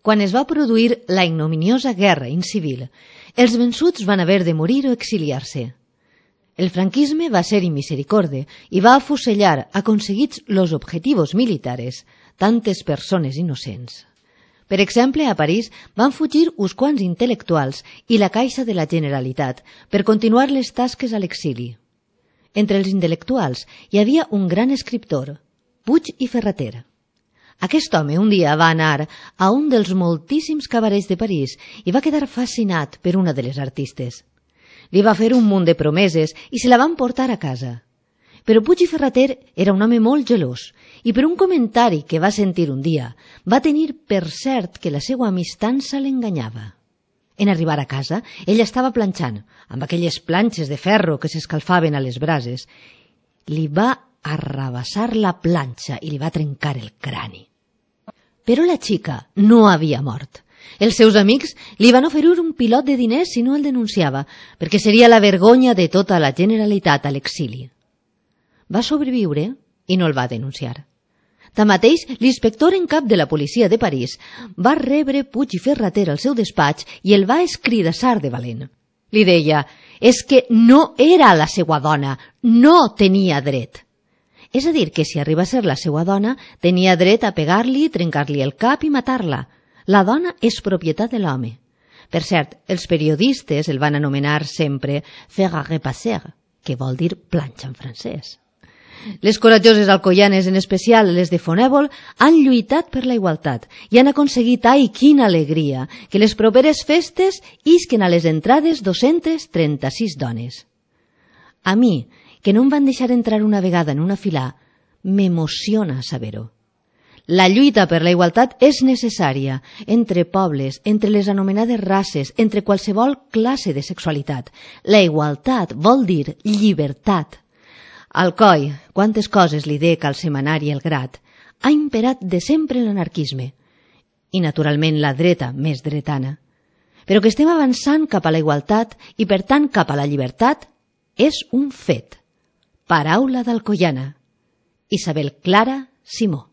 Quan es va produir la ignominiosa guerra incivil, els vençuts van haver de morir o exiliar-se. El franquisme va ser inmisericorde y va afusellar, aconseguits los objetivos militares, tantes persones innocents. Per exemple, a París van fugir uns quants intel·lectuals i la Caixa de la Generalitat per continuar les tasques a l'exili. Entre els intel·lectuals hi havia un gran escriptor, Puig i Ferrater. Aquest home un dia va anar a un dels moltíssims cabarets de París i va quedar fascinat per una de les artistes. Li va fer un munt de promeses i se la van portar a casa. Però Puig i Ferrater era un home molt gelós i per un comentari que va sentir un dia va tenir per cert que la seva amistança l'enganyava. En arribar a casa, ella estava planxant, amb aquelles planxes de ferro que s'escalfaven a les brases. Li va arrabassar la planxa i li va trencar el crani. Però la xica no havia mort. Els seus amics li van oferir un pilot de diners si no el denunciava, perquè seria la vergonya de tota la Generalitat a l'exili. Va sobreviure i no el va denunciar. Tanmateix, l'inspector en cap de la policia de París va rebre Puig i Ferrater al seu despatx i el va escridassar de valent. Li deia, és que no era la seva dona, no tenia dret. És a dir, que si arriba a ser la seva dona, tenia dret a pegar-li, trencar-li el cap i matar-la. La dona és propietat de l'home. Per cert, els periodistes el van anomenar sempre fer à repasser, que vol dir planxa en francès. Les coratjoses alcoianes, en especial les de Fonèvol, han lluitat per la igualtat i han aconseguit, ai, quina alegria, que les properes festes isquen a les entrades 236 dones. A mi, que no em van deixar entrar una vegada en una fila, m'emociona saber-ho. La lluita per la igualtat és necessària entre pobles, entre les anomenades races, entre qualsevol classe de sexualitat. La igualtat vol dir llibertat. Alcoi, quantes coses li dec al setmanari El Grat, ha imperat de sempre l'anarquisme i, naturalment, la dreta més dretana. Però que estem avançant cap a la igualtat i, per tant, cap a la llibertat, és un fet. Paraula d'Alcoiana. Isabel Clara Simó.